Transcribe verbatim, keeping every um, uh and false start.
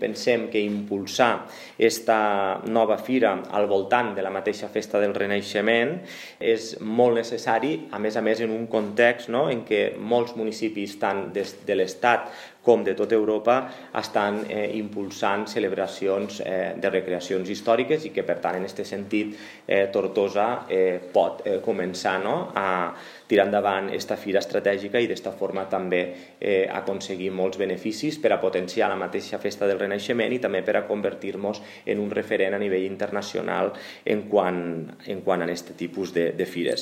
Pensem que impulsar aquesta nova fira al voltant de la mateixa festa del Renaixement és molt necessari, a més a més en un context no, en què molts municipis, tant des de l'Estat com de tota Europa, estan eh, impulsant celebracions eh, de recreacions històriques i que, per tant, en aquest sentit, eh, Tortosa eh, pot eh, començar no, a tirar endavant aquesta fira estratègica i d'esta forma també eh, aconseguir molts beneficis per a potenciar la mateixa festa del Renaixement i també per a convertir-nos en un referent a nivell internacional en quant, en quant a aquest tipus de, de fires.